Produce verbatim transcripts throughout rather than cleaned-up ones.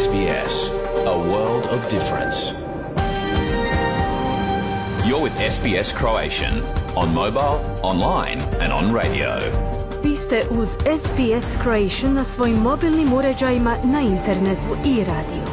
S B S, a world of difference. You're with S B S Croatian on mobile, online and on radio. Vi ste uz S B S Croatian na svojim mobilnim uređajima, na internetu i radio.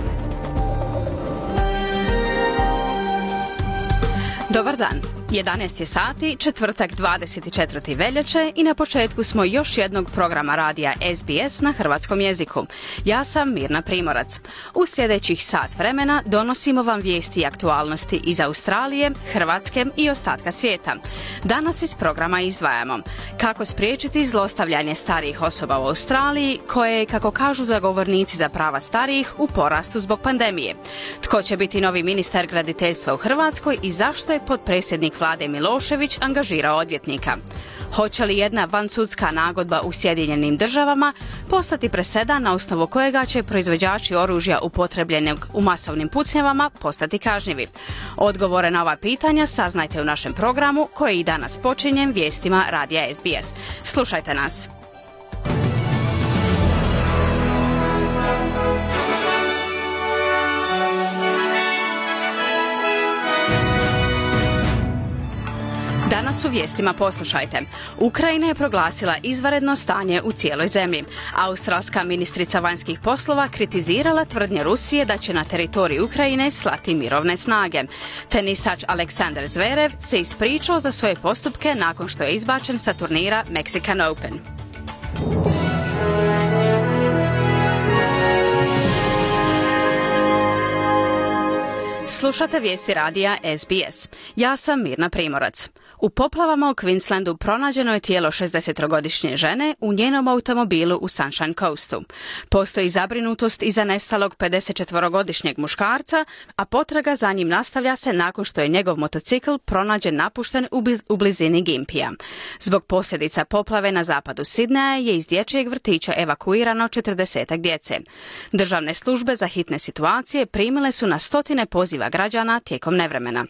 Dobar dan. jedanaest je sati, četvrtak dvadeset četvrtog veljače i na početku smo još jednog programa radija S B S na hrvatskom jeziku. Ja sam Mirna Primorac. U sljedećih sat vremena donosimo vam vijesti i aktualnosti iz Australije, Hrvatske i ostatka svijeta. Danas iz programa izdvajamo kako spriječiti zlostavljanje starijih osoba u Australiji, koje je, kako kažu zagovornici za prava starijih, u porastu zbog pandemije. Tko će biti novi ministar graditeljstva u Hrvatskoj i zašto je potpredsjednik Vlade Milošević angažirao odvjetnika? Hoće li jedna vansudska nagodba u Sjedinjenim državama postati presedan na osnovu kojega će proizvođači oružja upotrebljenog u masovnim pucnjavama postati kažnjivi? Odgovore na ova pitanja saznajte u našem programu koji i danas počinje vijestima radija S B S. Slušajte nas. Danas u vijestima poslušajte. Ukrajina je proglasila izvanredno stanje u cijeloj zemlji. Australska ministrica vanjskih poslova kritizirala tvrdnje Rusije da će na teritoriju Ukrajine slati mirovne snage. Tenisač Aleksandar Zverev se ispričao za svoje postupke nakon što je izbačen sa turnira Mexican Open. Slušate vijesti radija S B S. Ja sam Mirna Primorac. U poplavama u Queenslandu pronađeno je tijelo šezdesetogodišnje žene u njenom automobilu u Sunshine Coastu. Postoji zabrinutost iza nestalog pedesetčetvorogodišnjeg muškarca, a potraga za njim nastavlja se nakon što je njegov motocikl pronađen napušten u blizini Gympija. Zbog posljedica poplave na zapadu Sidneja je iz dječjeg vrtića evakuirano četrdesetak djece. Državne službe za hitne situacije primile su na stotine poziva građana tijekom nevremena.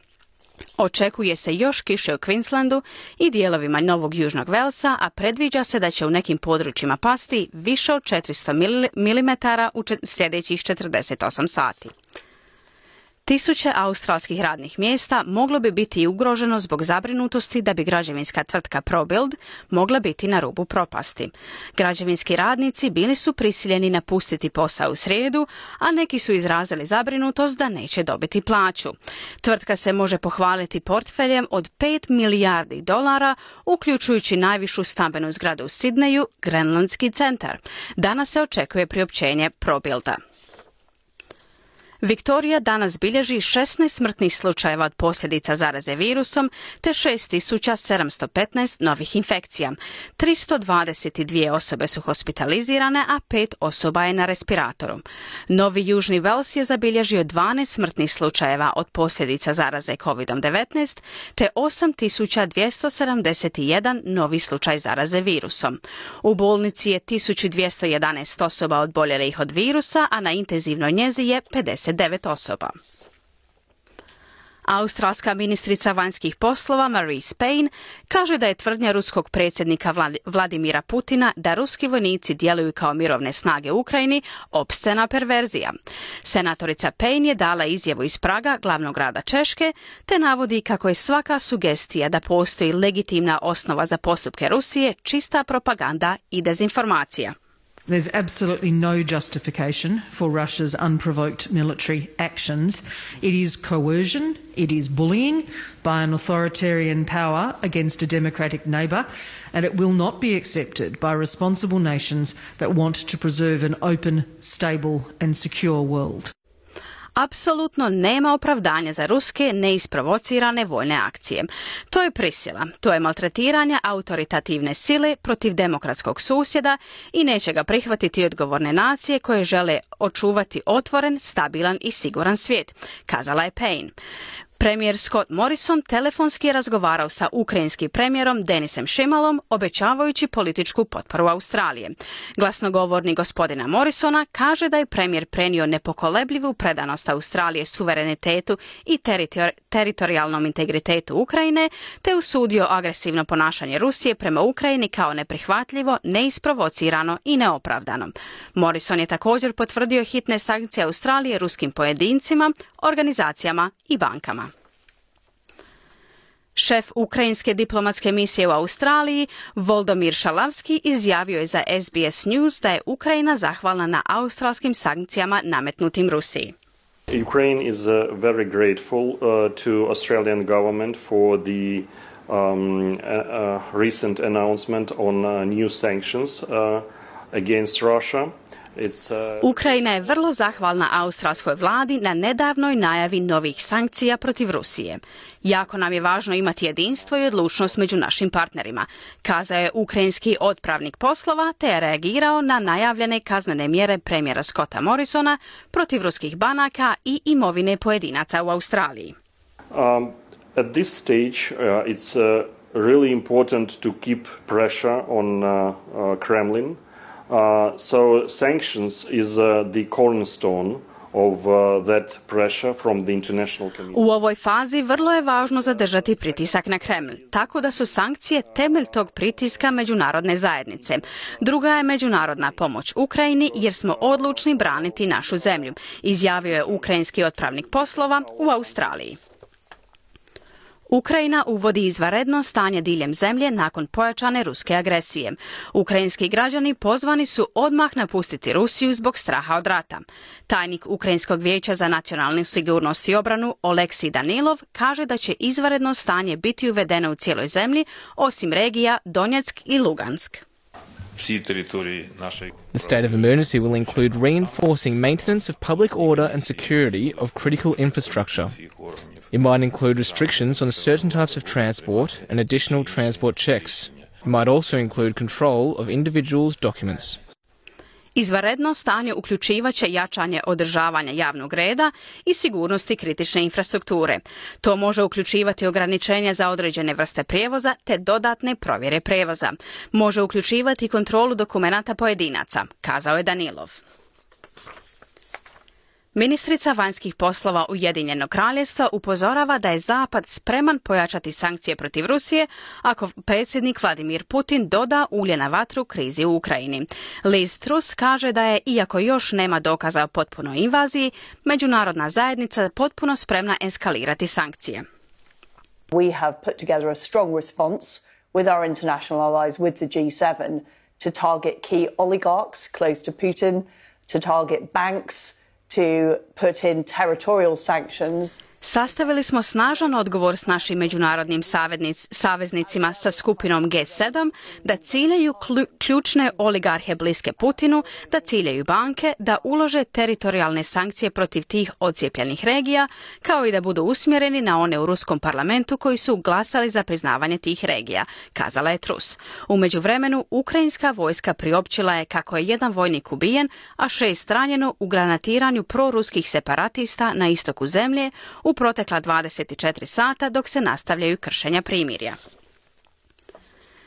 Očekuje se još kiše u Queenslandu i dijelovima Novog Južnog Velsa, a predviđa se da će u nekim područjima pasti više od četiristo milimetara u sljedećih četrdeset osam sati. Tisuće australskih radnih mjesta moglo bi biti ugroženo zbog zabrinutosti da bi građevinska tvrtka ProBuild mogla biti na rubu propasti. Građevinski radnici bili su prisiljeni napustiti posao u srijedu, a neki su izrazili zabrinutost da neće dobiti plaću. Tvrtka se može pohvaliti portfeljem od pet milijardi dolara, uključujući najvišu stambenu zgradu u Sidneju, Grenlandski centar. Danas se očekuje priopćenje ProBuilda. Viktorija danas bilježi šesnaest smrtnih slučajeva od posljedica zaraze virusom te šest tisuća sedamsto petnaest novih infekcija. tristo dvadeset dvije osobe su hospitalizirane, a pet osoba je na respiratoru. Novi Južni Vels je zabilježio dvanaest smrtnih slučajeva od posljedica zaraze kovid devetnaest te osam tisuća dvjesto sedamdeset jedan novi slučaj zaraze virusom. U bolnici je tisuću dvjesto jedanaest osoba odboljelih od virusa, a na intenzivnoj njezi je pedeset devet osoba. Australska ministrica vanjskih poslova Marise Payne kaže da je tvrdnja ruskog predsjednika Vladimira Putina da ruski vojnici djeluju kao mirovne snage u Ukrajini opscena perverzija. Senatorica Payne je dala izjavu iz Praga, glavnog grada Češke, te navodi kako je svaka sugestija da postoji legitimna osnova za postupke Rusije čista propaganda i dezinformacija. There's absolutely no justification for Russia's unprovoked military actions. It is coercion, it is bullying by an authoritarian power against a democratic neighbour, and it will not be accepted by responsible nations that want to preserve an open, stable and secure world. Apsolutno nema opravdanja za ruske neisprovocirane vojne akcije. To je prisila, to je maltretiranje autoritativne sile protiv demokratskog susjeda i neće ga prihvatiti odgovorne nacije koje žele očuvati otvoren, stabilan i siguran svijet, kazala je Payne. Premijer Scott Morrison telefonski je razgovarao sa ukrajinskim premijerom Denisem Šimalom, obećavajući političku potporu Australije. Glasnogovornik gospodina Morrisona kaže da je premijer prenio nepokolebljivu predanost Australije suverenitetu i teritori- teritorijalnom integritetu Ukrajine, te usudio agresivno ponašanje Rusije prema Ukrajini kao neprihvatljivo, neisprovocirano i neopravdano. Morrison je također potvrdio hitne sankcije Australije ruskim pojedincima, organizacijama i bankama. Šef ukrajinske diplomatske misije u Australiji, Volodymyr Šalavski, izjavio je za S B S News da je Ukrajina zahvalna na australskim sankcijama nametnutim Rusiji. Ukraine is uh, very grateful uh, to Australian government for the um, uh, uh, recent announcement on uh, new sanctions uh, against Russia. It's, uh... Ukrajina je vrlo zahvalna australskoj vladi na nedavnoj najavi novih sankcija protiv Rusije. Jako nam je važno imati jedinstvo i odlučnost među našim partnerima, kazao je ukrajinski otpravnik poslova, te je reagirao na najavljene kaznene mjere premijera Scotta Morrisona protiv ruskih banaka i imovine pojedinaca u Australiji. Um, at this stage uh, it's uh, really important to keep pressure on uh, uh, Kremlin. Uh, so sanctions is uh, the cornerstone of uh, that pressure from the international community. U ovoj fazi vrlo je važno zadržati pritisak na Kreml, tako da su sankcije temelj tog pritiska međunarodne zajednice. Druga je međunarodna pomoć Ukrajini jer smo odlučni braniti našu zemlju, izjavio je ukrajinski otpravnik poslova u Australiji. Ukrajina uvodi izvanredno stanje diljem zemlje nakon pojačane ruske agresije. Ukrajinski građani pozvani su odmah napustiti Rusiju zbog straha od rata. Tajnik Ukrajinskog vijeća za nacionalnu sigurnost i obranu Oleksij Danilov kaže da će izvanredno stanje biti uvedeno u cijeloj zemlji, osim regija Donjeck i Lugansk. The state of emergency will include reinforcing maintenance of public order and security of critical infrastructure. It might include restrictions on certain types of transport and additional transport checks. It might also include control of individuals' documents. Izvanredno stanje uključivaće jačanje održavanja javnog reda i sigurnosti kritične infrastrukture. To može uključivati ograničenja za određene vrste prijevoza te dodatne provjere prijevoza. Može uključivati kontrolu dokumenata pojedinaca, kazao je Danilov. Ministrica vanjskih poslova Ujedinjenog kraljevstva upozorava da je Zapad spreman pojačati sankcije protiv Rusije ako predsjednik Vladimir Putin doda ulje na vatru krizi u Ukrajini. Liz Truss kaže da je, iako još nema dokaza o potpunoj invaziji, međunarodna zajednica potpuno spremna eskalirati sankcije. We have put together a strong response with our international allies, with the G seven, to target key oligarchs close to Putin, to target banks, to put in territorial sanctions. Sastavili smo snažan odgovor s našim međunarodnim saveznicima sa skupinom G sedam da ciljaju ključne oligarhe bliske Putinu, da ciljaju banke, da ulože teritorijalne sankcije protiv tih odcijepljenih regija, kao i da budu usmjereni na one u ruskom parlamentu koji su glasali za priznavanje tih regija, kazala je Truss. U međuvremenu, ukrajinska vojska priopćila je kako je jedan vojnik ubijen, a šest ranjeno u granatiranju proruskih separatista na istoku zemlje u protekla dvadeset četiri sata dok se nastavljaju kršenja primirja.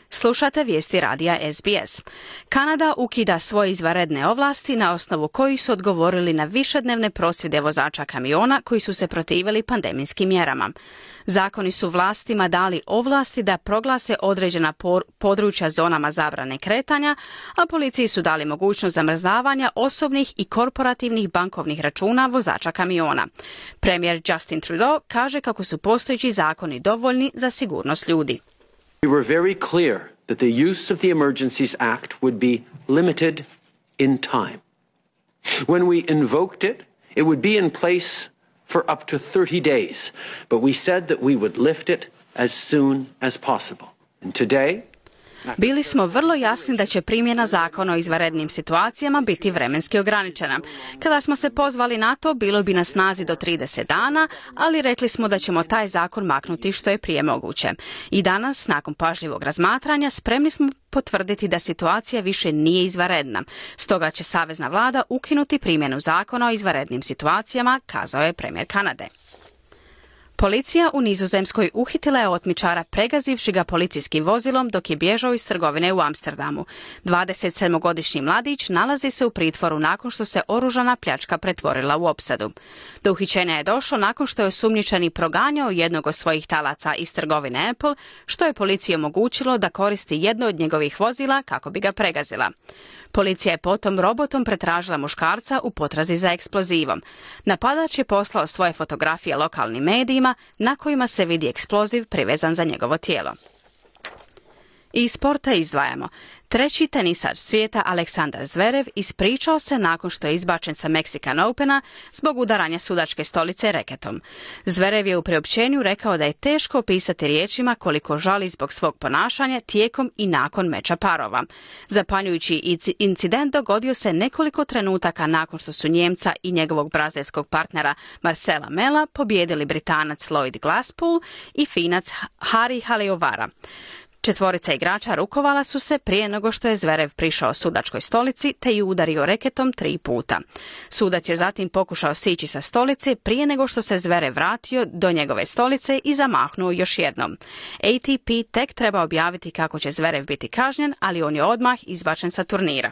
Slušate vijesti radija S B S. Kanada ukida svoje izvanredne ovlasti na osnovu kojih su odgovorili na višednevne prosvjede vozača kamiona koji su se protivili pandemijskim mjerama. Zakoni su vlastima dali ovlasti da proglase određena područja zonama zabrane kretanja, a policiji su dali mogućnost zamrzavanja osobnih i korporativnih bankovnih računa vozača kamiona. Premijer Justin Trudeau kaže kako su postojeći zakoni dovoljni za sigurnost ljudi. We were very clear that the use of the Emergencies Act would be limited in time. When we invoked it, it would be in place for up to thirty days, but we said that we would lift it as soon as possible. And today, bili smo vrlo jasni da će primjena zakona o izvanrednim situacijama biti vremenski ograničena. Kada smo se pozvali na to, bilo bi na snazi do trideset dana, ali rekli smo da ćemo taj zakon maknuti što je prije moguće. I danas, nakon pažljivog razmatranja, spremni smo potvrditi da situacija više nije izvanredna. Stoga će savezna vlada ukinuti primjenu zakona o izvanrednim situacijama, kazao je premijer Kanade. Policija u Nizozemskoj uhitila je otmičara pregazivši ga policijskim vozilom dok je bježao iz trgovine u Amsterdamu. dvadesetsedmogodišnji mladić nalazi se u pritvoru nakon što se oružana pljačka pretvorila u opsadu. Do uhićenja je došlo nakon što je osumnjičeni proganjao jednog od svojih talaca iz trgovine Apple, što je policiji omogućilo da koristi jedno od njegovih vozila kako bi ga pregazila. Policija je potom robotom pretražila muškarca u potrazi za eksplozivom. Napadač je poslao svoje fotografije lokalnim medijima na kojima se vidi eksploziv privezan za njegovo tijelo. Iz sporta izdvajamo. Treći tenisač svijeta Aleksandar Zverev ispričao se nakon što je izbačen sa Mexican Opena zbog udaranja sudačke stolice reketom. Zverev je u priopćenju rekao da je teško opisati riječima koliko žali zbog svog ponašanja tijekom i nakon meča parova. Zapanjujući incident dogodio se nekoliko trenutaka nakon što su Njemca i njegovog brazilskog partnera Marcela Mela pobijedili Britanac Lloyd Glasspool i Finac Hari Haliovara. Četvorica igrača rukovala su se prije nego što je Zverev prišao sudačkoj stolici te ju udario reketom tri puta. Sudac je zatim pokušao sići sa stolice prije nego što se Zverev vratio do njegove stolice i zamahnuo još jednom. A T P tek treba objaviti kako će Zverev biti kažnjen, ali on je odmah izbačen sa turnira.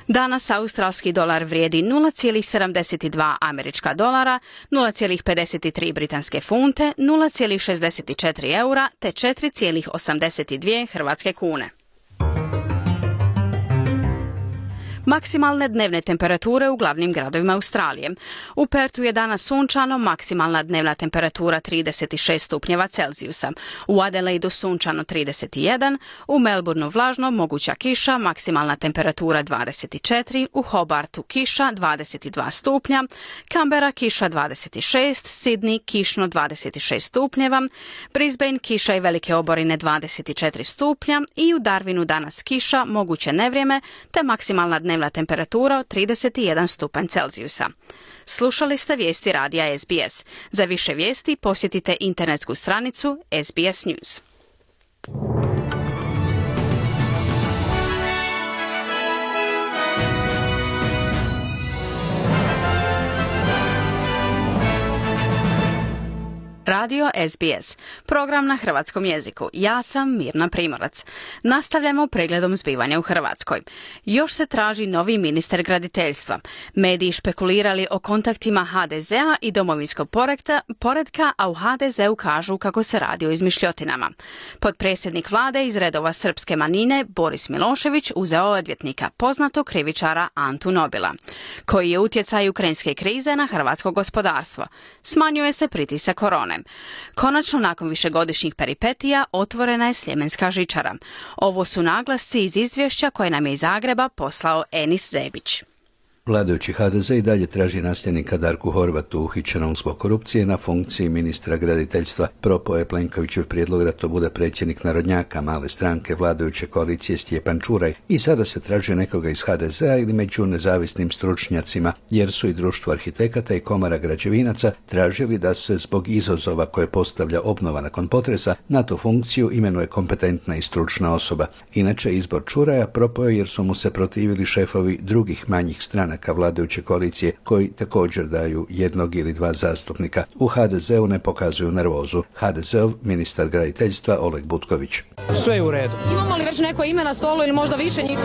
Danas australski dolar vrijedi nula zarez sedamdeset dva američka dolara, nula zarez pedeset tri britanske funte, nula zarez šezdeset četiri eura te četiri zarez osamdeset dvije hrvatske kune. Maksimalne dnevne temperature u glavnim gradovima Australije. U Pertu je danas sunčano, maksimalna dnevna temperatura trideset šest stupnjeva Celzijusa. U Adelaidu sunčano trideset jedan, u Melbourneu vlažno, moguća kiša, maksimalna temperatura dvadeset četiri, u Hobartu kiša dvadeset dva stupnja, Canberra kiša dvadeset šest, Sydney kišno dvadeset šest stupnjeva, Brisbane kiša i velike oborine dvadeset četiri stupnja i u Darwinu danas kiša, moguće nevrijeme te maksimalna dnevna temperatura od trideset jedan stupanj Celzijusa. Slušali ste vijesti radija S B S. Za više vijesti posjetite internetsku stranicu S B S News. Radio S B S, program na hrvatskom jeziku. Ja sam Mirna Primorac. Nastavljamo pregledom zbivanja u Hrvatskoj. Još se traži novi ministar graditeljstva. Mediji špekulirali o kontaktima H D Z-a i domovinskog poretka, a u H D Z-u kažu kako se radi o izmišljotinama. Potpredsjednik vlade iz redova srpske manjine Boris Milošević uzeo odvjetnika, poznatog krivičara Antu Nobila, koji je utjecaj ukrajinske krize na hrvatsko gospodarstvo. Smanjuje se pritisak korone. Konačno, nakon višegodišnjih peripetija, otvorena je sljemenska žičara. Ovo su naglasci iz izvješća koje nam je iz Zagreba poslao Enis Zebić. Vladajući H D Z i dalje traži nasljednika Darku Horvatu uhićenom zbog korupcije na funkciji ministra graditeljstva. Propao je Plenkovićev prijedlog da to bude predsjednik narodnjaka male stranke vladajuće koalicije Stjepan Čuraj i sada se traži nekoga iz H D Z-a ili među nezavisnim stručnjacima, jer su i Društvo arhitekata i Komora građevinaca tražili da se zbog izazova koje postavlja obnova nakon potresa na tu funkciju imenuje kompetentna i stručna osoba. Inače, izbor Čuraja propao je jer su mu se protivili šefovi drugih manjih strana ka vladajuće koalicije koji također daju jednog ili dva zastupnika. U H D Z-u ne pokazuju nervozu. H D Z-ov ministar graditeljstva Oleg Butković. Sve je u redu. Imamo li već neko ime na stolu ili možda više njih?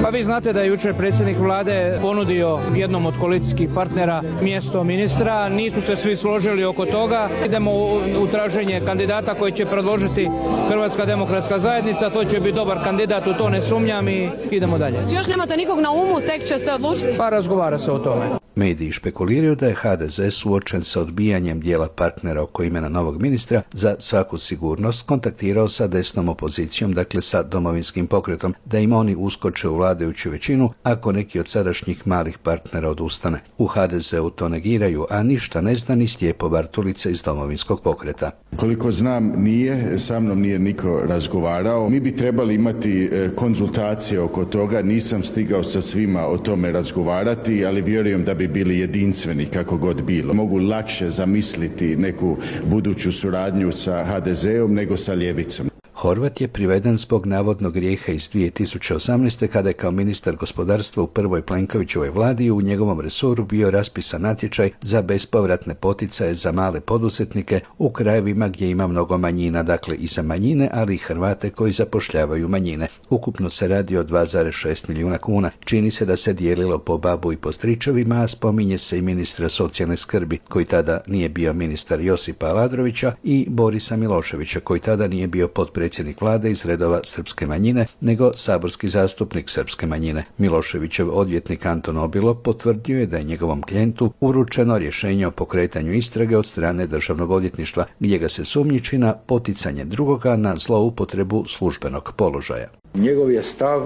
Pa vi znate da je jučer predsjednik vlade ponudio jednom od koalicijskih partnera mjesto ministra. Nisu se svi složili oko toga. Idemo u, u traženje kandidata koji će predložiti Hrvatska demokratska zajednica. To će biti dobar kandidat, u to ne sumnjam i idemo dalje. Znači još nemate nikog na umu, tek će se odlučiti? Pa razgovara se o tome. Mediji špekuliraju da je H D Z suočen sa odbijanjem dijela partnera oko imena novog ministra za svaku sigurnost kontaktirao sa desnom opozicijom, dakle sa domovinskim pokretom, da im oni uskoče u vladajuću većinu ako neki od sadašnjih malih partnera odustane. U H D Z-u to negiraju, a ništa ne zna ni Stjepo Bartulica iz domovinskog pokreta. Koliko znam, nije, sa mnom nije niko razgovarao. Mi bi trebali imati konzultacije oko toga, nisam stigao sa svima o tome razgovarati, ali vjerujem da bi bili jedinstveni kako god bilo. Mogu lakše zamisliti neku buduću suradnju sa H D Z-om nego sa ljevicom. Horvat je priveden zbog navodnog grijeha iz dvije tisuće osamnaeste. kada je kao ministar gospodarstva u prvoj Plenkovićevoj vladi u njegovom resoru bio raspisan natječaj za bespovratne poticaje za male poduzetnike u krajevima gdje ima mnogo manjina, dakle i za manjine, ali i Hrvate koji zapošljavaju manjine. Ukupno se radi o dva zarez šest milijuna kuna. Čini se da se dijelilo po babu i po stričevima, a spominje se i ministra socijalne skrbi, koji tada nije bio ministar Josipa Aladrovića, i Borisa Miloševića, koji tada nije bio potpredsjednik vlade iz redova srpske manjine, nego saborski zastupnik srpske manjine. Miloševićev odvjetnik Anton Obilo potvrdio je da je njegovom klijentu uručeno rješenje o pokretanju istrage od strane državnog odvjetništva, gdje ga se sumnjiči na poticanje drugoga na zloupotrebu službenog položaja. Njegov je stav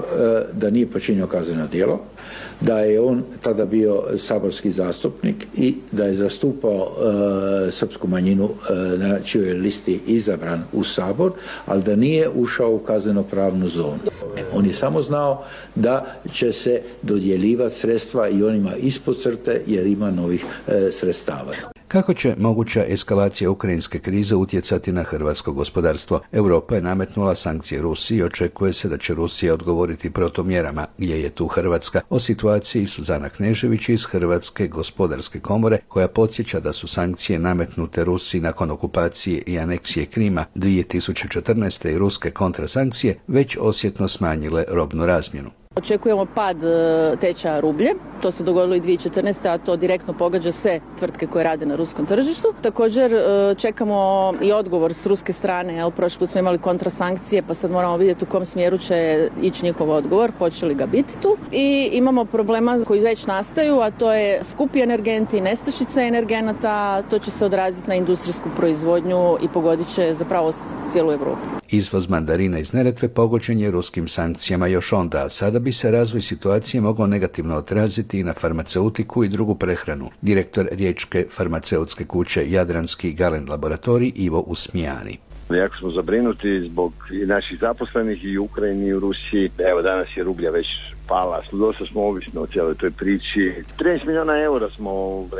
da nije počinio kazneno djelo, da je on tada bio saborski zastupnik i da je zastupao e, srpsku manjinu e, na čijoj listi izabran u Sabor, ali da nije ušao u kazneno-pravnu zonu. On je samo znao da će se dodjeljivati sredstva i onima ispod crte jer ima novih e, sredstava. Kako će moguća eskalacija ukrajinske krize utjecati na hrvatsko gospodarstvo? Europa je nametnula sankcije Rusiji i očekuje se da će Rusija odgovoriti protumjerama. Gdje je tu Hrvatska? O situaciji Suzana Knežević iz Hrvatske gospodarske komore, koja podsjeća da su sankcije nametnute Rusiji nakon okupacije i aneksije Krima dvije tisuće četrnaeste. i ruske kontrasankcije već osjetno smanjile robnu razmjenu. Očekujemo pad tečaja rublje, to se dogodilo i dvije tisuće četrnaeste. a to direktno pogađa sve tvrtke koje rade na ruskom tržištu. Također čekamo i odgovor s ruske strane, jel, prošli put smo imali kontrasankcije, pa sad moramo vidjeti u kom smjeru će ići njihov odgovor, hoće li ga biti tu. I imamo problema koji već nastaju, a to je skupi energenti, nestašica energenata, to će se odraziti na industrijsku proizvodnju i pogodit će zapravo cijelu Europu. Izvoz mandarina iz Neretve pogođen je ruskim sankcijama još onda, a sada bi se razvoj situacije mogao negativno odraziti i na farmaceutiku i drugu prehranu. Direktor riječke farmaceutske kuće Jadranski Galen laboratorij Ivo Usmijani. Jako smo zabrinuti zbog i naših zaposlenih i u Ukrajini i u Rusiji. Evo danas je rublja već pala, dosta smo ovisni o cijeloj toj priči. trinaest milijuna eura smo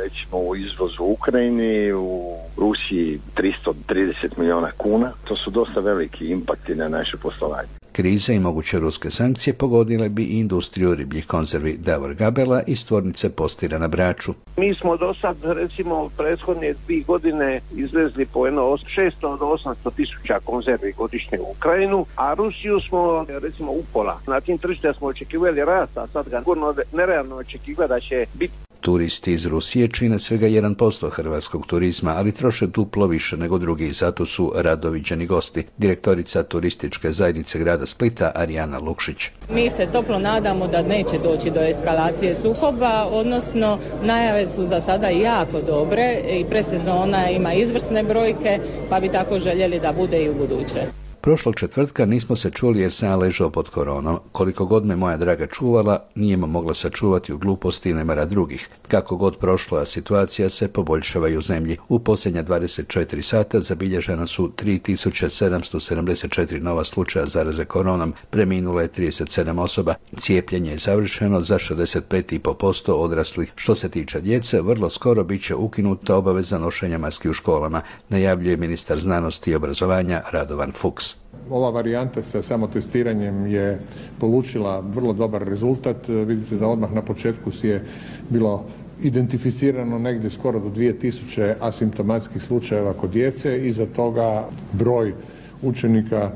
recimo u izvozu u Ukrajini, u Rusiji tristo trideset milijuna kuna. To su dosta veliki impakti na naše poslovanje. Krize i moguće ruske sankcije pogodile bi i industriju ribljih konzervi. Davor Gabela iz tvornice Postira na Braču. Mi smo do sad, recimo, prethodne dvije godine izvezli po jedno šesto do osamsto tisuća konzervi godišnje u Ukrajinu, a Rusiju smo, recimo, upola. Na tim tržištima smo očekivali rast, a sad ga gorno nerealno očekiva da će biti. Turisti iz Rusije čine svega jedan posto hrvatskog turizma, ali troše duplo više nego drugi, zato su rado viđeni gosti. Direktorica turističke zajednice grada Splita Arijana Lukšić. Mi se toplo nadamo da neće doći do eskalacije sukoba, odnosno najave su za sada jako dobre i predsezona ima izvrsne brojke, pa bi tako željeli da bude i u buduće. Prošlog četvrtka nismo se čuli jer sam ja ležao pod koronom. Koliko god me moja draga čuvala, nije me mogla sačuvati u gluposti i nemara drugih. Kako god prošlo, a situacija se poboljšava i u zemlji. U posljednja dvadeset četiri sata zabilježena su tri tisuće sedamsto sedamdeset četiri nova slučaja zaraze koronom, preminulo je trideset sedam osoba. Cijepljenje je završeno za šezdeset pet zarez pet posto odraslih. Što se tiče djece, vrlo skoro bit će ukinuta obaveza nošenja maski u školama, najavljuje ministar znanosti i obrazovanja Radovan Fuchs. Ova varijanta sa samotestiranjem je polučila vrlo dobar rezultat. Vidite da odmah na početku si je bilo identificirano negdje skoro do dvije tisuće asimptomatskih slučajeva kod djece. Iza toga broj učenika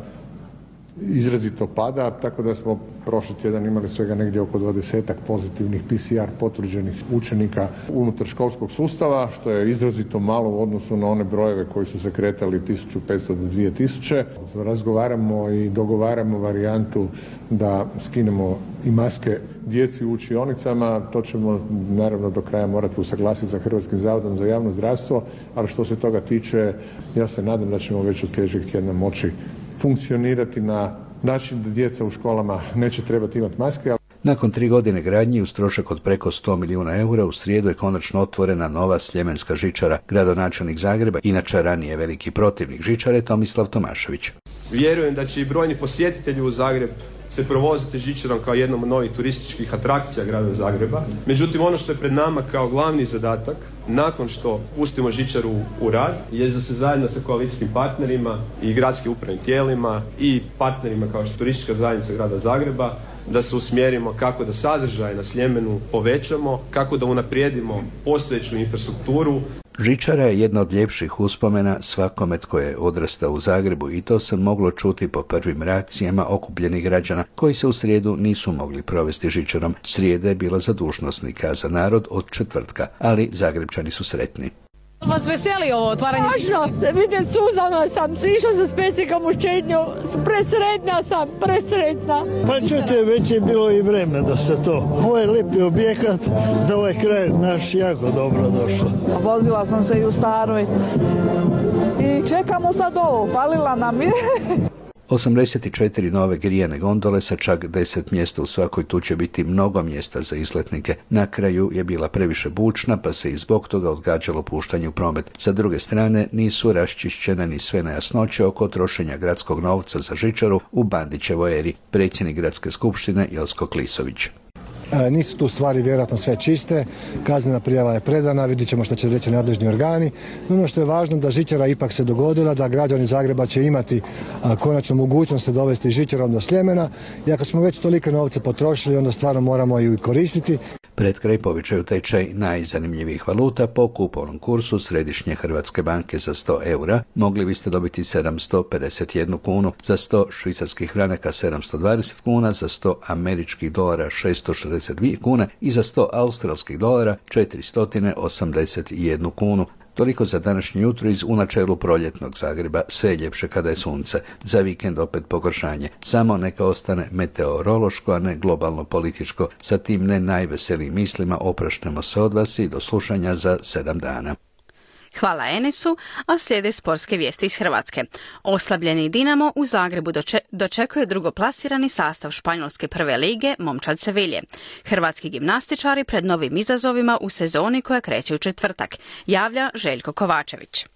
izrazito pada, tako da smo prošli tjedan imali svega negdje oko dvadesetak pozitivnih P C R potvrđenih učenika unutar školskog sustava, što je izrazito malo u odnosu na one brojeve koji su se kretali tisuću petsto do dvije tisuće. Razgovaramo i dogovaramo varijantu da skinemo i maske djeci u učionicama. To ćemo naravno do kraja morati usaglasiti sa Hrvatskim zavodom za javno zdravstvo, ali što se toga tiče, ja se nadam da ćemo već od sljedećeg tjedna moći funkcionirati na način da djeca u školama neće trebati imati maske. Nakon tri godine gradnje uz trošak od preko sto milijuna eura u srijedu je konačno otvorena nova sljemenska žičara. Gradonačelnik Zagreba, inače ranije veliki protivnik žičare, Tomislav Tomašević. Vjerujem da će i brojni posjetitelji u Zagreb se provoziti žičarom kao jednom od novih turističkih atrakcija grada Zagreba. Međutim, ono što je pred nama kao glavni zadatak, nakon što pustimo žičaru u rad, je da se zajedno sa koalicijskim partnerima i gradskim upravnim tijelima i partnerima kao što je turistička zajednica grada Zagreba, da se usmjerimo kako da sadržaj na Sljemenu povećamo, kako da unaprijedimo postojeću infrastrukturu. Žičara je jedna od ljepših uspomena svakome tko je odrastao u Zagrebu i to se moglo čuti po prvim reakcijama okupljenih građana koji se u srijedu nisu mogli provesti žičarom. Srijeda je bila za dužnosnika, a za narod od četvrtka, ali Zagrebčani su sretni. Vas veseli ovo otvaranje? Možno se vidim, suzana sam, išla sam s pesnikom u šetnju, presretna sam, presretna. Pa čujte, već je bilo i vreme da se to. Ovo je lijepi objekat, za ovaj kraj naš jako dobro došlo. Vozila sam se i u staroj i čekamo sad ovo, falila nam je. osamdeset četiri nove grijane gondole sa čak deset mjesta u svakoj, tu će biti mnogo mjesta za izletnike. Na kraju je bila previše bučna, pa se i zbog toga odgađalo puštanje u promet. Sa druge strane, nisu raščišćene ni sve nejasnoće oko trošenja gradskog novca za žičaru u Bandićevoj eri. Predsjednik gradske skupštine Josko Klisović. E, nisu tu stvari vjerojatno sve čiste, kaznena prijava je predana, vidjet ćemo što će reći nadležni organi. Ono što je važno da žičara ipak se dogodila, da građani Zagreba će imati a, konačno mogućnost se dovesti žičarom do Sljemena i ako smo već tolike novce potrošili, onda stvarno moramo ju i koristiti. Pred kraj povećaju tečaj najzanimljivijih valuta. Po kupovnom kursu Središnje Hrvatske banke za sto eura mogli biste dobiti sedamsto pedeset jednu kunu, za sto švicarskih franaka sedamsto dvadeset kuna, za sto američkih dolara šesto šezdeset dvije kune i za sto australskih dolara četiristo osamdeset jednu kunu. Toliko za današnje jutro iz u načelu proljetnog Zagreba, sve ljepše kada je sunce. Za vikend opet pogoršanje. Samo neka ostane meteorološko, a ne globalno političko. Sa tim ne najveselijim mislima opraštamo se od vas i do slušanja za sedam dana. Hvala Enesu, a slijede sportske vijesti iz Hrvatske. Oslabljeni Dinamo u Zagrebu doče- dočekuje drugoplasirani sastav španjolske prve lige Momčad Sevilje. Hrvatski gimnastičari pred novim izazovima u sezoni koja kreće u četvrtak, javlja Željko Kovačević.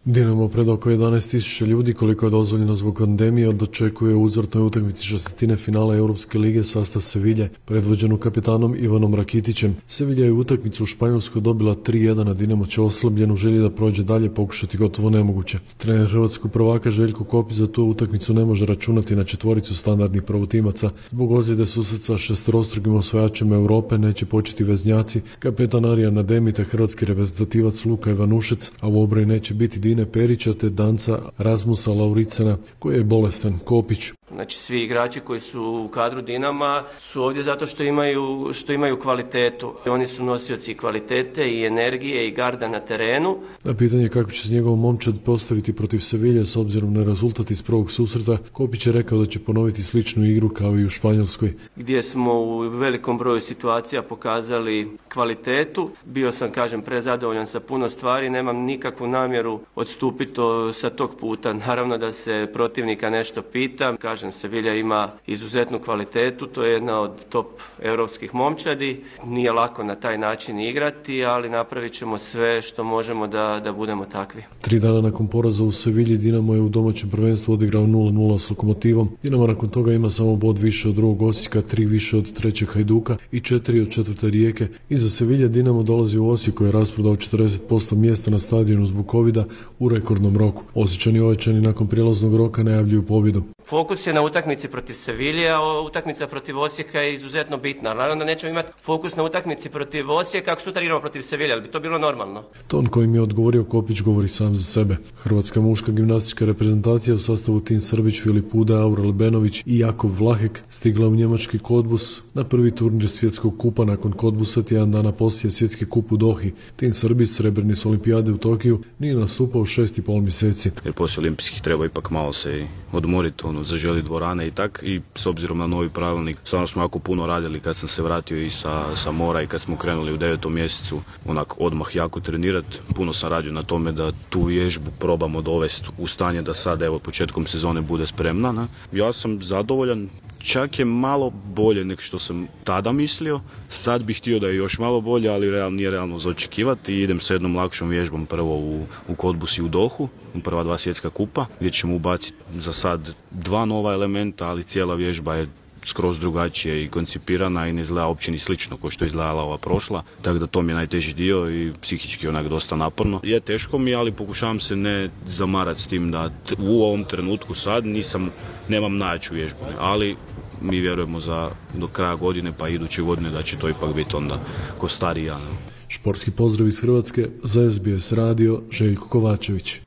Dinamo pred oko jedanaest tisuća ljudi, koliko je dozvoljeno zbog pandemije, dočekuje u uzvratnoj utakmici šestine finala Europske lige sastav Sevilje, predvođenu kapetanom Ivanom Rakitićem. Sevilja je utakmicu u Španjolskoj dobila tri jedan, a Dinamo će oslabljen u želji da prođe dalje pokušati gotovo nemoguće. Trener hrvatskog prvaka Željko Kopić za tu utakmicu ne može računati na četvoricu standardnih prvotimaca. Zbog ozljede susret sa šesterostrukim osvajačima Europe neće početi veznjaci, kapetan Arijan Ademi te hrvatski reprezentativac Luka Ivanušec, a u obrani neće biti Dine Perića te danca Rasmusa Lauricena koji je bolestan. Kopić. Znači svi igrači koji su u kadru Dinama su ovdje zato što imaju, što imaju kvalitetu. Oni su nosioci kvalitete i energije i garda na terenu. Na pitanje kako će se njegov momčad postaviti protiv Sevilje s obzirom na rezultat iz prvog susreta, Kopić je rekao da će ponoviti sličnu igru kao i u Španjolskoj. Gdje smo u velikom broju situacija pokazali kvalitetu. Bio sam, kažem, prezadovoljan sa puno stvari, nemam nikakvu namjeru odstupiti sa tog puta. Naravno da se protivnika nešto pita. Kažem, Sevilja ima izuzetnu kvalitetu, to je jedna od top europskih momčadi. Nije lako na taj način igrati, ali napravit ćemo sve što možemo da, da budemo takvi. Tri dana nakon poraza u Sevilji, Dinamo je u domaćem prvenstvu odigrao nula nula s Lokomotivom. Dinamo nakon toga ima samo bod više od drugog Osijeka, tri više od trećeg Hajduka i četiri od četvrte Rijeke. Iza Sevilje Dinamo dolazi u Osijek koji je rasprodao četrdeset posto mjesta na stadionu zbog covida u rekordnom roku. Osječani ojačani nakon prijelaznog roka najavljuju pobjedu. Fokus je na utakmici protiv Sevilje, a utakmica protiv Osijeka je izuzetno bitna. Naravno da nećemo imati fokus na utakmici protiv Osijeka ako sutra igramo protiv Sevilje, ali bi to bilo normalno. Ton kojim je odgovorio Kopić govori sam za sebe. Hrvatska muška gimnastička reprezentacija u sastavu Tin Srbić, Filip Uda, Aurel Benović i Jakov Vlahek stigla u njemački Kodbus na prvi turnir svjetskog kupa nakon Kodbusa tjedan dana poslije svjetski kup u Dohi. Tin Srbić, srebrni s olimpijade u Tokiju, nije nastupao šest i pol mjeseci. Jer poslije olimpijskih treba ipak malo se odmoriti, ono, zaželi dvorane i tak, i s obzirom na novi pravilnik, stvarno smo jako puno radili kad sam se vratio i sa, sa mora i kad smo krenuli u devetom mjesecu, onak odmah jako trenirati. Puno sam radio na tome da tu vježbu probamo dovesti u stanje da sad, evo, početkom sezone bude spremna. Ne? Ja sam zadovoljan, čak je malo bolje nego što sam tada mislio. Sad bih htio da je još malo bolje, ali real, nije realno za očekivati. Idem sa jednom lakšom vježbom prvo u, u Kodbus i u Dohu, prva dva svjetska kupa, gdje ćemo ubaciti za sad dva nova elementa, ali cijela vježba je skroz drugačije i koncipirana i ne izgleda uopće ni slično kao što je izgledala ova prošla, tako da to mi je najteži dio i psihički onak dosta naporno. Je teško mi, ali pokušavam se ne zamarati s tim da t- u ovom trenutku sad nisam, nemam najjaču vježbu, ali mi vjerujemo za do kraja godine pa iduće godine da će to ipak biti onda ko stariji ja. Športski pozdrav iz Hrvatske za S B S radio, Željko Kovačević.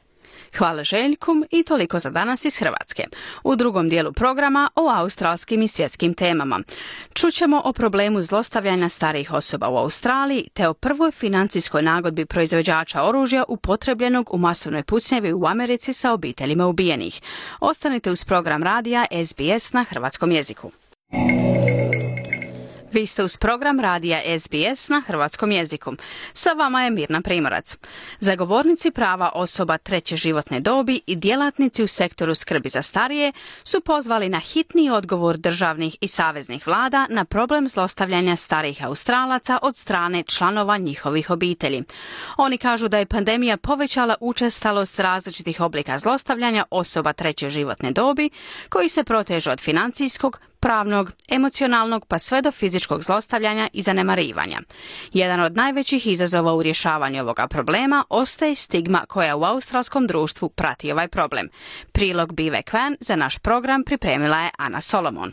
Hvala Željku i toliko za danas iz Hrvatske. U drugom dijelu programa o australskim i svjetskim temama. Čućemo o problemu zlostavljanja starijih osoba u Australiji te o prvoj financijskoj nagodbi proizvođača oružja upotrebljenog u masovnoj pucnjavi u Americi sa obiteljima ubijenih. Ostanite uz program radija S B S na hrvatskom jeziku. Vi ste uz program radija S B S na hrvatskom jeziku. Sa vama je Mirna Primorac. Zagovornici prava osoba treće životne dobi i djelatnici u sektoru skrbi za starije su pozvali na hitni odgovor državnih i saveznih vlada na problem zlostavljanja starijih Australaca od strane članova njihovih obitelji. Oni kažu da je pandemija povećala učestalost različitih oblika zlostavljanja osoba treće životne dobi koji se protežu od financijskog, pravnog, emocionalnog pa sve do fizičkog zlostavljanja i zanemarivanja. Jedan od najvećih izazova u rješavanju ovoga problema ostaje stigma koja u australskom društvu prati ovaj problem. Prilog Bive Kvan za naš program pripremila je Ana Solomon.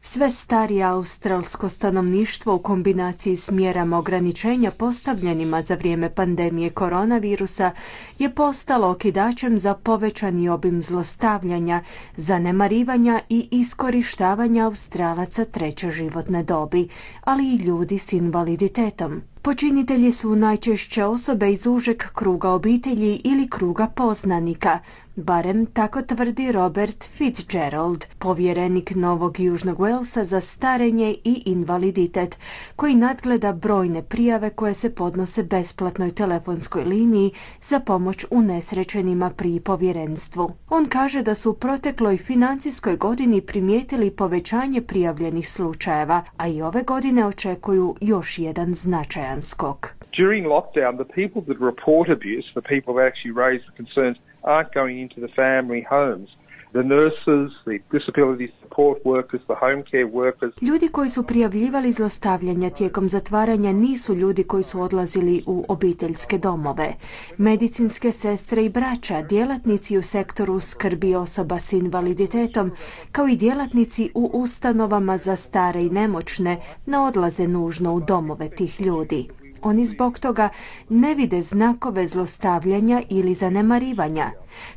Sve starije australsko stanovništvo u kombinaciji s mjerama ograničenja postavljenima za vrijeme pandemije koronavirusa je postalo okidačem za povećani obim zlostavljanja, zanemarivanja i iskorištavanja Australaca treće životne dobi, ali i ljudi s invaliditetom. Počinitelji su najčešće osobe iz užeg kruga obitelji ili kruga poznanika, barem tako tvrdi Robert Fitzgerald, povjerenik Novog Južnog Walesa za starenje i invaliditet, koji nadgleda brojne prijave koje se podnose besplatnoj telefonskoj liniji za pomoć unesrećenima pri povjerenstvu. On kaže da su u protekloj financijskoj godini primijetili povećanje prijavljenih slučajeva, a i ove godine očekuju još jedan značajan skok. During lockdown, the people that report abuse, the people that actually raise the concerns, aren't going into the family homes. The nurses, the disability support workers, the home care workers. Ljudi koji su prijavljivali zlostavljanja tijekom zatvaranja nisu ljudi koji su odlazili u obiteljske domove. Medicinske sestre i braća, djelatnici u sektoru skrbi osoba s invaliditetom, kao i djelatnici u ustanovama za stare i nemoćne, ne odlaze nužno u domove tih ljudi. Oni zbog toga ne vide znakove zlostavljanja ili zanemarivanja.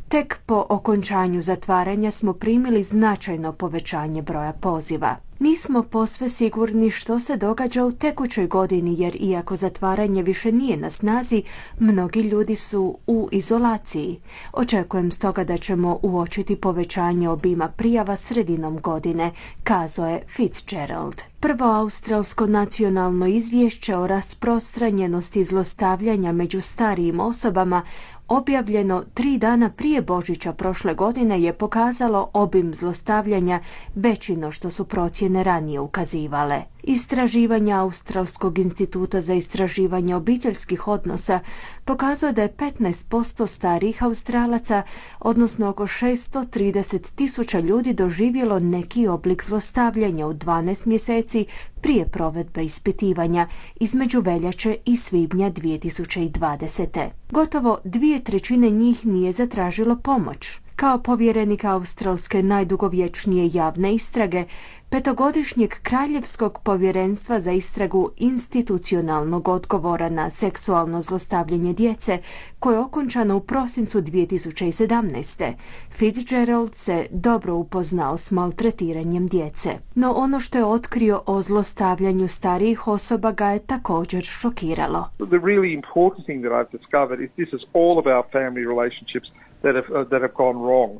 Tek po okončanju zatvaranja smo primili značajno povećanje broja poziva. Nismo posve sigurni što se događa u tekućoj godini, jer iako zatvaranje više nije na snazi, mnogi ljudi su u izolaciji. Očekujem stoga da ćemo uočiti povećanje obima prijava sredinom godine, kazao je Fitzgerald. Prvo australsko nacionalno izvješće o rasprostranjenosti zlostavljanja među starijim osobama objavljeno tri dana prije Božića prošle godine je pokazalo obim zlostavljanja veći no što su procjene ranije ukazivale. Istraživanja Australskog instituta za istraživanje obiteljskih odnosa pokazuje da je petnaest posto starijih Australaca, odnosno oko šesto trideset tisuća ljudi, doživjelo neki oblik zlostavljanja u dvanaest mjeseci prije provedbe ispitivanja između veljače i svibnja dvije tisuće dvadesete. Gotovo dvije trećine njih nije zatražilo pomoć. Kao povjerenik australske najdugovječnije javne istrage, petogodišnjeg kraljevskog povjerenstva za istragu institucionalnog odgovora na seksualno zlostavljanje djece, koje je okončano u prosincu dvije tisuće sedamnaeste. Fitzgerald se dobro upoznao s maltretiranjem djece. No ono što je otkrio o zlostavljanju starijih osoba ga je također šokiralo. The really important thing that I've discovered is this is all about family relationships that have, uh, that have gone wrong.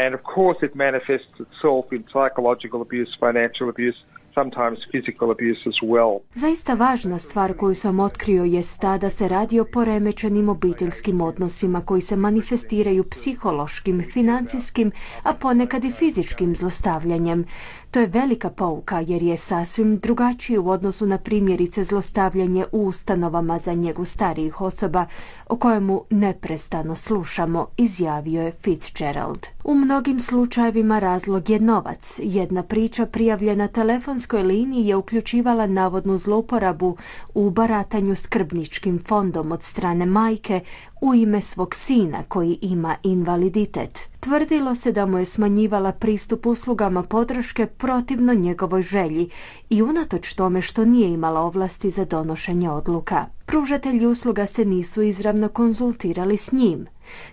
And of course it manifests itself in psychological abuse, financial abuse, sometimes physical abuse as well. Zaista važna stvar koju sam otkrio jest ta da se radi o poremećenim obiteljskim odnosima koji se manifestiraju psihološkim, financijskim, a ponekad i fizičkim zlostavljanjem. To je velika pouka jer je sasvim drugačije u odnosu na primjerice zlostavljanje u ustanovama za njegu starijih osoba o kojemu neprestano slušamo, izjavio je Fitzgerald. U mnogim slučajevima razlog je novac. Jedna priča prijavljena telefonskoj liniji je uključivala navodnu zlouporabu u baratanju skrbničkim fondom od strane majke u ime svog sina koji ima invaliditet. Tvrdilo se da mu je smanjivala pristup uslugama podrške protivno njegovoj želji i unatoč tome što nije imala ovlasti za donošenje odluka. Pružatelji usluga se nisu izravno konzultirali s njim.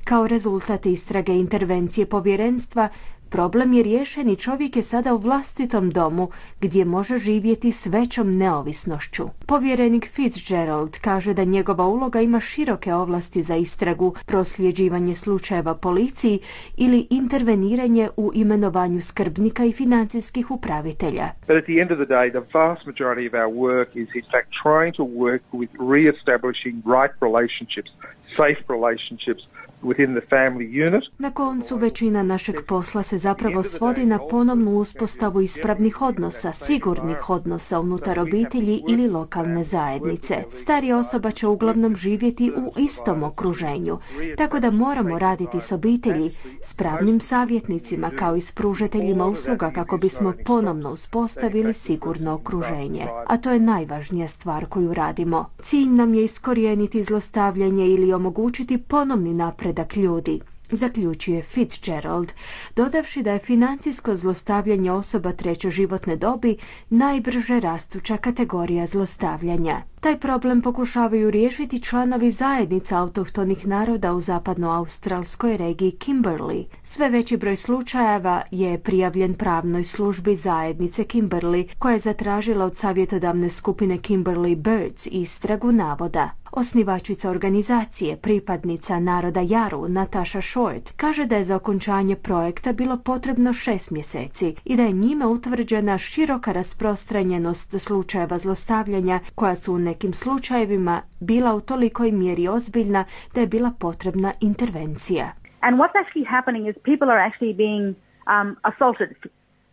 Kao rezultat istrage intervencije povjerenstva, problem je riješen i čovjek je sada u vlastitom domu gdje može živjeti s većom neovisnošću. Povjerenik Fitzgerald kaže da njegova uloga ima široke ovlasti za istragu, prosljeđivanje slučajeva policiji ili interveniranje u imenovanju skrbnika i financijskih upravitelja. But at the end of the day, the vast majority of our work is in fact trying to work with re-establishing right relationships, safe relationships within the family unit. Na koncu većina našeg posla se zapravo svodi na ponovnu uspostavu ispravnih odnosa, sigurnih odnosa unutar obitelji ili lokalne zajednice. Starija osoba će uglavnom živjeti u istom okruženju, tako da moramo raditi s obitelji, s pravnim savjetnicima kao i s pružateljima usluga kako bismo ponovno uspostavili sigurno okruženje. A to je najvažnija stvar koju radimo. Cilj nam je iskorijeniti zlostavljanje ili omogućiti ponovni napred ljudi, zaključuje Fitzgerald, dodavši da je financijsko zlostavljanje osoba treće životne dobi najbrže rastuća kategorija zlostavljanja. Taj problem pokušavaju riješiti članovi zajednica autohtonih naroda u zapadnoaustralskoj regiji Kimberley. Sve veći broj slučajeva je prijavljen pravnoj službi zajednice Kimberley, koja je zatražila od savjetodavne skupine Kimberley Birds istragu navoda. Osnivačica organizacije, pripadnica naroda Jaru, Natasha Short, kaže da je za okončanje projekta bilo potrebno šest mjeseci i da je njime utvrđena široka rasprostranjenost slučajeva zlostavljanja koja su u nekim slučajevima bila u tolikoj mjeri ozbiljna da je bila potrebna intervencija. And what's actually happening is people are actually being um, assaulted,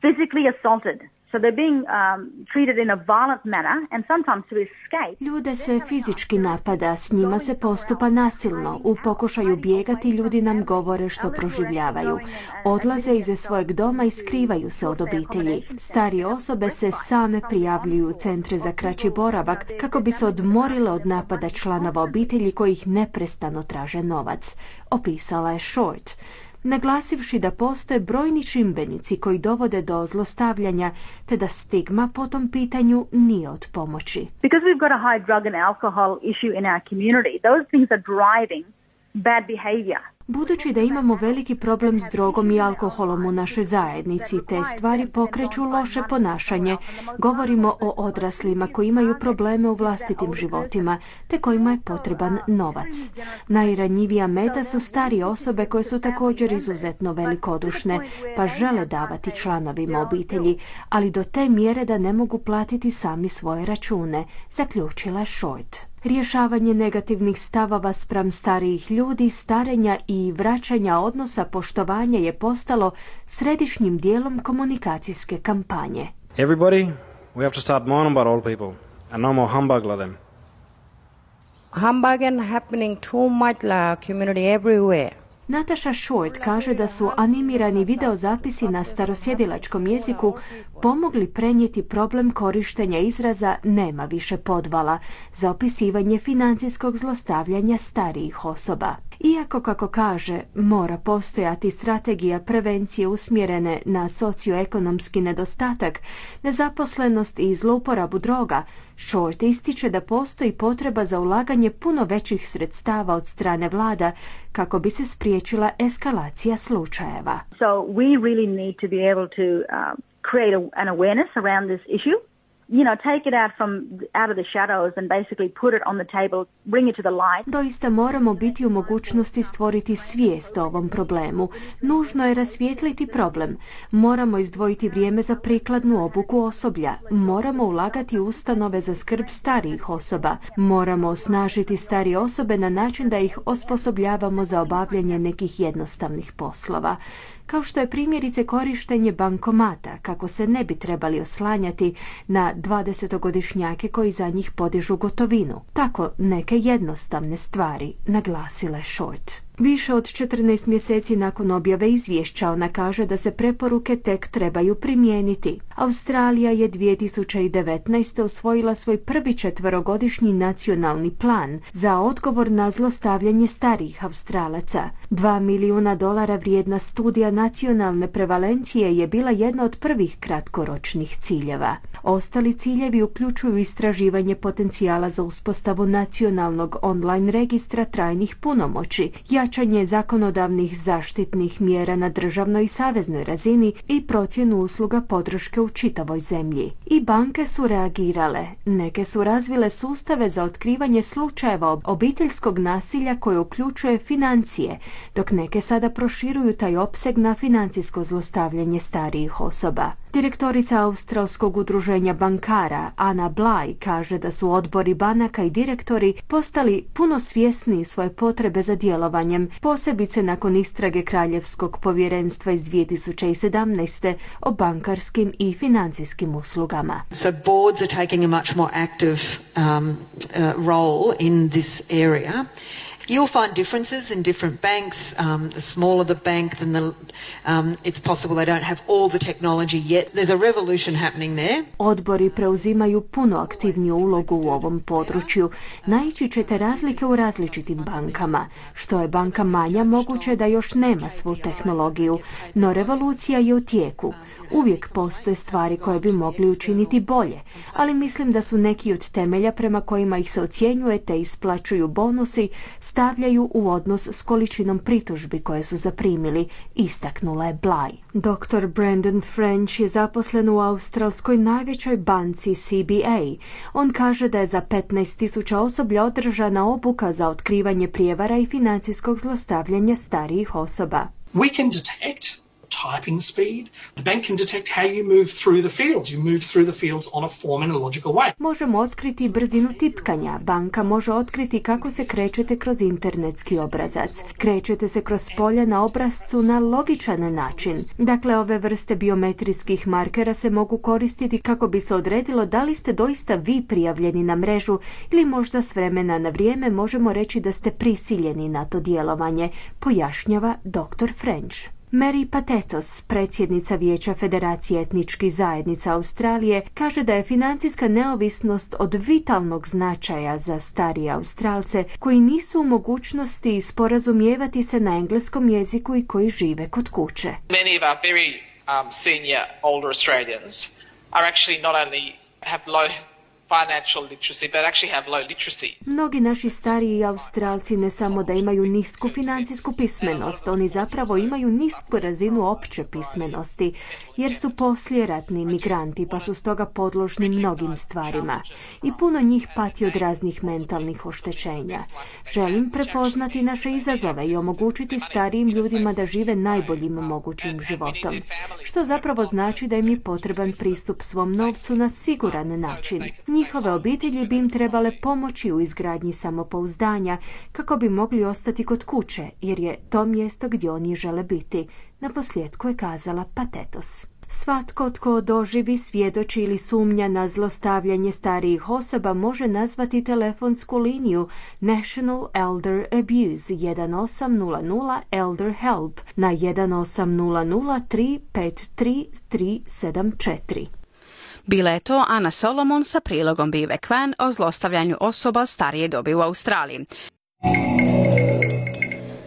physically assaulted. So they're being um, treated in a violent manner and sometimes to escape. Ljude se fizički napada, s njima se postupa nasilno. U pokušaju bjegati ljudi nam govore što proživljavaju. Odlaze iz svojeg doma i skrivaju se od obitelji. Starije osobe se same prijavljuju u centre za kraći boravak kako bi se odmorile od napada članova obitelji koji ih neprestano traže novac, opisala je Short, naglasivši da postoje brojni čimbenici koji dovode do zlostavljanja te da stigma po tom pitanju nije od pomoći. Because we've got a high drug and alcohol issue in our community, those things are driving bad behavior. Budući da imamo veliki problem s drogom i alkoholom u našoj zajednici, te stvari pokreću loše ponašanje. Govorimo o odraslima koji imaju probleme u vlastitim životima, te kojima je potreban novac. Najranjivija meta su starije osobe koje su također izuzetno velikodušne, pa žele davati članovima obitelji, ali do te mjere da ne mogu platiti sami svoje račune, zaključila Short. Rješavanje negativnih stavova spram starijih ljudi, starenja i vraćanja odnosa poštovanja je postalo središnjim dijelom komunikacijske kampanje. Everybody, we have to start mourning about old people and no more humbug like them. Humbug happening too much like community everywhere. Natasha Short kaže da su animirani videozapisi na starosjedilačkom jeziku pomogli prenijeti problem korištenja izraza nema više podvala za opisivanje financijskog zlostavljanja starijih osoba. Iako, kako kaže, mora postojati strategija prevencije usmjerene na socioekonomski nedostatak, nezaposlenost i zlouporabu droga, Short ističe da postoji potreba za ulaganje puno većih sredstava od strane vlada kako bi se spriječila eskalacija slučajeva. So we really need to be able to uh, create a, an awareness around this issue. You know, take it out from out of the shadows and basically put it on the table, bring it to the light. Doista moramo biti u mogućnosti stvoriti svijest o ovom problemu. Nužno je rasvijetliti problem. Moramo izdvojiti vrijeme za prikladnu obuku osoblja. Moramo ulagati u ustanove za skrb starijih osoba. Moramo osnažiti starije osobe na način da ih osposobljavamo za obavljanje nekih jednostavnih poslova. kao što je primjerice korištenje bankomata, kako se ne bi trebali oslanjati na dvadesetogodišnjake koji za njih podižu gotovinu. Tako neke jednostavne stvari, naglasila je Short. Više od četrnaest mjeseci nakon objave izvješća ona kaže da se preporuke tek trebaju primijeniti. Australija je dvije tisuće devetnaeste. usvojila svoj prvi četverogodišnji nacionalni plan za odgovor na zlostavljanje starijih Australaca. Dva milijuna dolara vrijedna studija nacionalne prevalencije je bila jedna od prvih kratkoročnih ciljeva. Ostali ciljevi uključuju istraživanje potencijala za uspostavu nacionalnog online registra trajnih punomoći, jačanje zakonodavnih zaštitnih mjera na državnoj i saveznoj razini i procjenu usluga podrške u čitavoj zemlji. I banke su reagirale. Neke su razvile sustave za otkrivanje slučajeva obiteljskog nasilja koje uključuje financije, dok neke sada proširuju taj opseg na financijsko zlostavljanje starijih osoba. Direktorica Australskog udruženja bankara Ana Bly kaže da su odbori banaka i direktori postali puno svjesniji svoje potrebe za djelovanjem, posebice nakon istrage Kraljevskog povjerenstva iz dvije tisuće sedamnaeste. o bankarskim i financijskim uslugama. So boards are taking a much more active um, uh, role in this area. You'll find differences in different banks. Um, the smaller the bank, then the, um, it's possible they don't have all the technology yet. There's a revolution happening there. Odbori preuzimaju puno aktivniju ulogu u ovom području. Naići ćete razlike u različitim bankama. Što je banka manja, moguće da još nema svu tehnologiju, no revolucija je u tijeku. Uvijek postoje stvari koje bi mogli učiniti bolje, ali mislim da su neki od temelja prema kojima ih se ocjenjuje te isplaćuju bonusi stavljaju u odnos s količinom pritužbi koje su zaprimili, istaknula je Bly. doktor Brandon French je zaposlen u australskoj najvećoj banci C B A. On kaže da je za petnaest tisuća osoblja održana obuka za otkrivanje prijevara i financijskog zlostavljanja starijih osoba. We can detect typing speed. The bank can detect how you move through the fields. You move through the fields on a form and a logical way. Možemo otkriti brzinu tipkanja. Banka može otkriti kako se krećete kroz internetski obrazac. Krećete se kroz polja na obrazcu na logičan način. Dakle, ove vrste biometrijskih markera se mogu koristiti kako bi se odredilo da li ste doista vi prijavljeni na mrežu ili možda s vremena na vrijeme možemo reći da ste prisiljeni na to djelovanje, pojašnjava doktor French. Mary Patetos, predsjednica Vijeća Federacije etničkih zajednica Australije, kaže da je financijska neovisnost od vitalnog značaja za starije Australce koji nisu u mogućnosti sporazumijevati se na engleskom jeziku i koji žive kod kuće. Many of our very um, senior older Australians are actually not only have low financial literacy, but actually have low literacy. Mnogi naši stariji Australci ne samo da imaju nisku financijsku pismenost, oni zapravo imaju nisku razinu opće pismenosti, jer su poslijeratni migranti, pa su stoga podložni mnogim stvarima. I puno njih pati od raznih mentalnih oštećenja. Želim prepoznati naše izazove i omogućiti starijim ljudima da žive najboljim mogućim životom, što zapravo znači da im je potreban pristup svom novcu na siguran način. Njihove obitelji bi im trebale pomoći u izgradnji samopouzdanja kako bi mogli ostati kod kuće, jer je to mjesto gdje oni žele biti, naposljetku je kazala Patetos. Svatko tko doživi, svjedoči ili sumnja na zlostavljanje starijih osoba može nazvati telefonsku liniju National Elder Abuse jedan osam nula nula Elder Help na jedan osam nula nula tri pet tri tri sedam četiri. Bila je to Ana Solomon sa prilogom Bive Kwan o zlostavljanju osoba starije dobi u Australiji.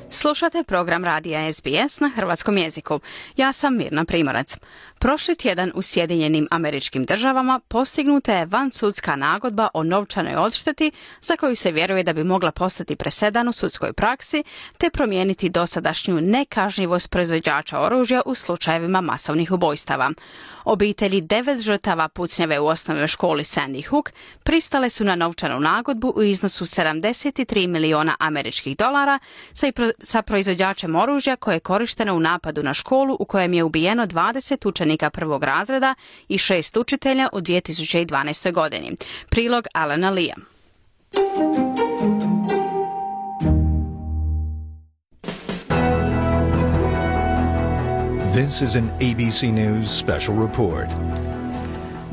Slušate program radija S B S na hrvatskom jeziku. Ja sam Mirna Primorac. Prošli tjedan u Sjedinjenim Američkim Državama postignuta je vansudska nagodba o novčanoj odšteti za koju se vjeruje da bi mogla postati presedan u sudskoj praksi te promijeniti dosadašnju nekažnjivost proizvođača oružja u slučajevima masovnih ubojstava. Obitelji devet žrtava pucnjave u osnovnoj školi Sandy Hook pristale su na novčanu nagodbu u iznosu sedamdeset tri milijuna američkih dolara sa proizvođačem oružja koje je korišteno u napadu na školu u kojem je ubijeno dvadeset učenika prvog razreda i šest učitelja u dvije tisuće dvanaestoj godini. Prilog Alana Lea. This is an A B C News special report.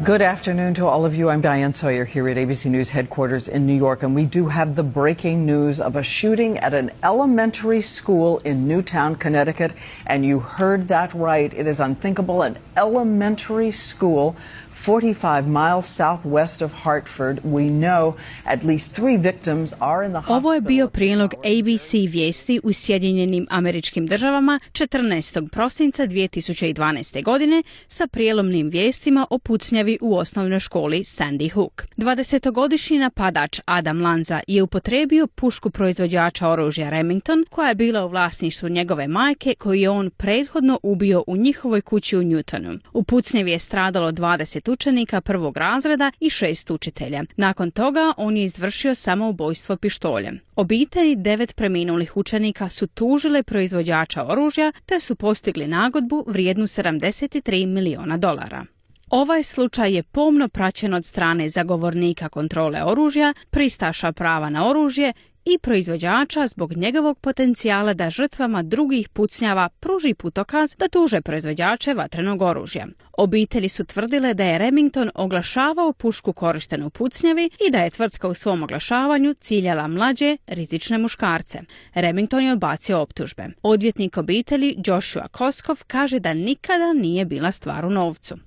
Good afternoon to all of you. I'm Diane Sawyer here at A B C News headquarters in New York, and we do have the breaking news of a shooting at an elementary school in Newtown, Connecticut. And you heard that right. It is unthinkable. An elementary school forty-five miles southwest of Hartford. We know at least three victims are in the hospital. Ovo je bio prilog A B C vijesti u Sjedinjenim Američkim Državama četrnaestog prosinca dvije tisuće dvanaeste godine sa prijelomnim vijestima o pucnjavi u osnovnoj školi Sandy Hook. dvadesetogodišnji napadač Adam Lanza je upotrijebio pušku proizvođača oružja Remington, koja je bila u vlasništvu njegove majke, koju je on prethodno ubio u njihovoj kući u Newtonu. U pucnjavi je stradalo dvadeset učenika prvog razreda i šest učitelja. Nakon toga on je izvršio samoubojstvo pištoljem. Obitelji devet preminulih učenika su tužile proizvođača oružja te su postigli nagodbu vrijednu sedamdeset tri miliona dolara. Ovaj slučaj je pomno praćen od strane zagovornika kontrole oružja, pristaša prava na oružje i proizvođača zbog njegovog potencijala da žrtvama drugih pucnjava pruži putokaz da tuže proizvođače vatrenog oružja. Obitelji su tvrdile da je Remington oglašavao pušku korištenu u pucnjavi i da je tvrtka u svom oglašavanju ciljala mlađe, rizične muškarce. Remington je odbacio optužbe. Odvjetnik obitelji Joshua Koskov kaže da nikada nije bila stvar u novcu.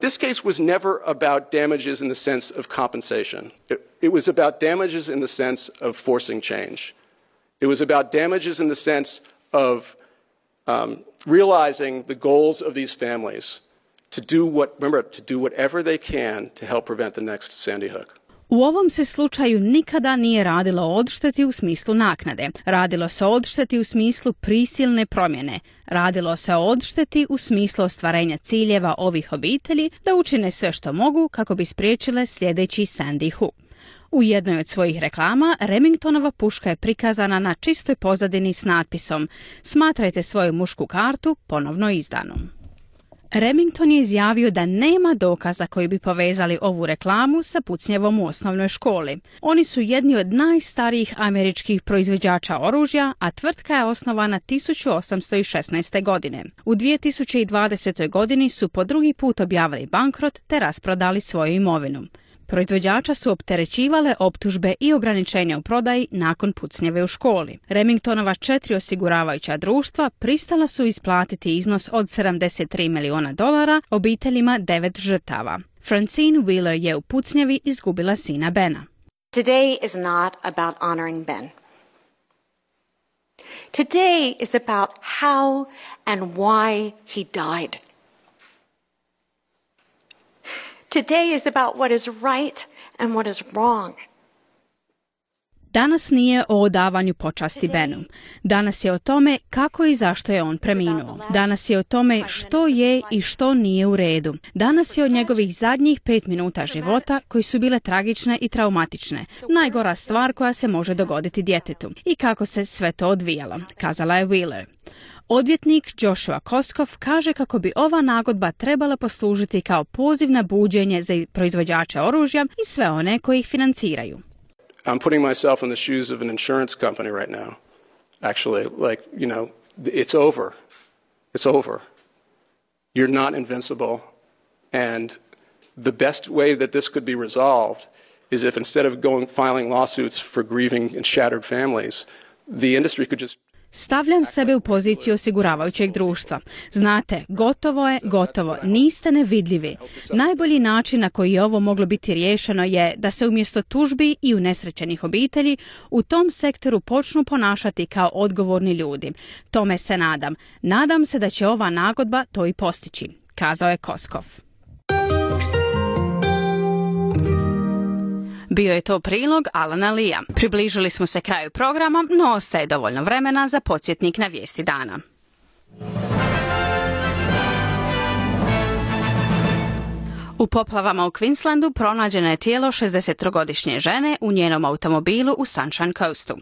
This case was never about damages in the sense of compensation. It, it was about damages in the sense of forcing change. It was about damages in the sense of um, realizing the goals of these families to do what, remember, to do whatever they can to help prevent the next Sandy Hook. U ovom se slučaju nikada nije radilo o odšteti u smislu naknade. Radilo se o odšteti u smislu prisilne promjene. Radilo se o odšteti u smislu ostvarenja ciljeva ovih obitelji da učine sve što mogu kako bi spriječile sljedeći Sandy Hook. U jednoj od svojih reklama Remingtonova puška je prikazana na čistoj pozadini s natpisom "Smatrajte svoju mušku kartu ponovno izdanom". Remington je izjavio da nema dokaza koji bi povezali ovu reklamu sa pucnjavom u osnovnoj školi. Oni su jedni od najstarijih američkih proizvođača oružja, a tvrtka je osnovana tisuću osamsto šesnaeste. godine. U dvije tisuće dvadesetoj. godini su po drugi put objavili bankrot te rasprodali svoju imovinu. Proizvođača su opterećivale optužbe i ograničenja u prodaji nakon pucnjave u školi. Remingtonova četiri osiguravajuća društva pristala su isplatiti iznos od sedamdeset tri miliona dolara obiteljima devet žrtava. Francine Wheeler je u pucnjavi izgubila sina Bena. Today is not about honoring Ben. Today is about how and why he died. Today is about what is right and what is wrong. Danas nije o odavanju počasti Benu. Danas je o tome kako i zašto je on preminuo. Danas je o tome što je i što nije u redu. Danas je o njegovih zadnjih pet minuta života koji su bile tragične i traumatične. Najgora stvar koja se može dogoditi djetetu. I kako se sve to odvijalo, kazala je Wheeler. Odvjetnik Joshua Koskov kaže kako bi ova nagodba trebala poslužiti kao poziv na buđenje za proizvođače oružja i sve one koji ih financiraju. I'm putting myself in the shoes of an insurance company right now. Actually, like, you know, it's over. It's over. You're not invincible. And the best way that this could be resolved is if instead of going filing lawsuits for grieving and shattered families, the industry could just Stavljam sebe u poziciju osiguravajućeg društva. Znate, gotovo je, gotovo, niste nevidljivi. Najbolji način na koji je ovo moglo biti riješeno je da se umjesto tužbi i unesrećenih obitelji u tom sektoru počnu ponašati kao odgovorni ljudi. Tome se nadam. Nadam se da će ova nagodba to i postići, kazao je Koskov. Bio je to prilog Alana Lea. Približili smo se kraju programa, no ostaje dovoljno vremena za podsjetnik na vijesti dana. U poplavama u Queenslandu pronađeno je tijelo šezdesettrogodišnje žene u njenom automobilu u Sunshine Coastu.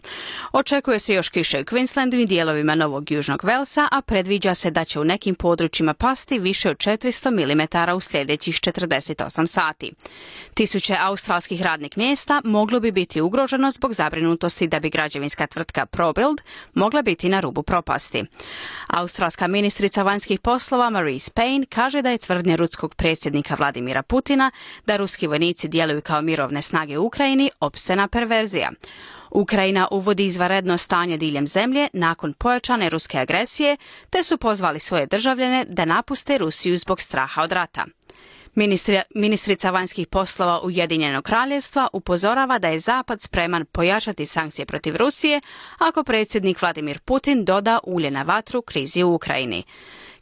Očekuje se još kiše u Queenslandu i dijelovima Novog Južnog Velsa, a predviđa se da će u nekim područjima pasti više od četiristo milimetara u sljedećih četrdeset osam sati. Tisuće australskih radnih mjesta moglo bi biti ugroženo zbog zabrinutosti da bi građevinska tvrtka ProBuild mogla biti na rubu propasti. Australska ministrica vanjskih poslova Marise Payne kaže da je tvrdnja ruskog predsjednika Vladimira Putina da ruski vojnici djeluju kao mirovne snage u Ukrajini opscena perverzija. Ukrajina uvodi izvanredno stanje diljem zemlje nakon pojačane ruske agresije, te su pozvali svoje državljane da napuste Rusiju zbog straha od rata. Ministri, ministrica vanjskih poslova Ujedinjenog kraljevstva upozorava da je Zapad spreman pojačati sankcije protiv Rusije ako predsjednik Vladimir Putin doda ulje na vatru krizi u Ukrajini.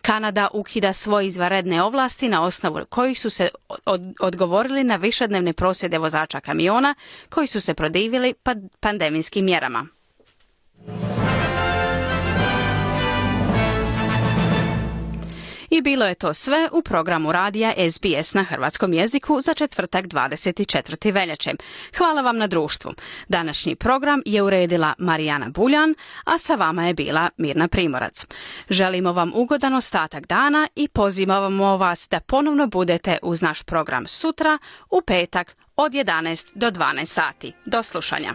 Kanada ukida svoje izvanredne ovlasti na osnovu kojih su se od, odgovorili na višednevne prosvjede vozača kamiona koji su se protivili pandemijskim mjerama. I bilo je to sve u programu radija S B S na hrvatskom jeziku za četvrtak dvadeset četvrtog veljače. Hvala vam na društvu. Današnji program je uredila Marijana Buljan, a sa vama je bila Mirna Primorac. Želimo vam ugodan ostatak dana i pozivamo vas da ponovno budete uz naš program sutra u petak od jedanaest do dvanaest sati. Do slušanja.